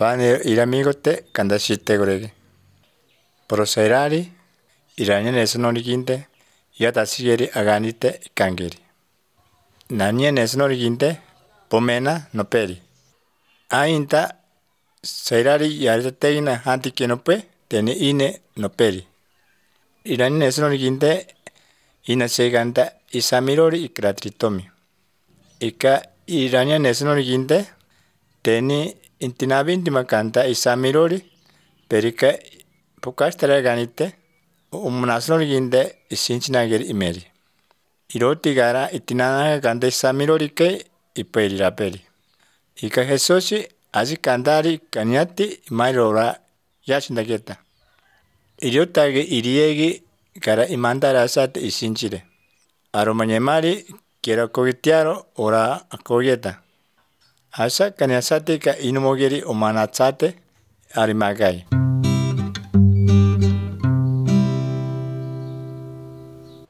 Pane iramigote kandashite gorege. Prosairari iranya nesonoriginte yatasigeri aganite kangeri. Nanye nesonoriginte pomena noperi. Ainta sairari yaritetegina hanti kenope teni ine noperi. Iranya nesonoriginte ina seganta isamirori ikratritomi. Ika iranya nesonoriginte teni intinabinti makanta isamirori perika pokastara ganite nasonoriginte isinchinageri imeri. Iroti gara itinanaga kanta isamirori ke iperi raperi. Ika Jesusi azikandari kanyati mairora yashindageta. Iriotage iriegi gara imandara asate isinchire. Aromanyemari kiera kogitiaro ora akogeta. Asa kanyasate ka inumogeri omanatsate arimagai.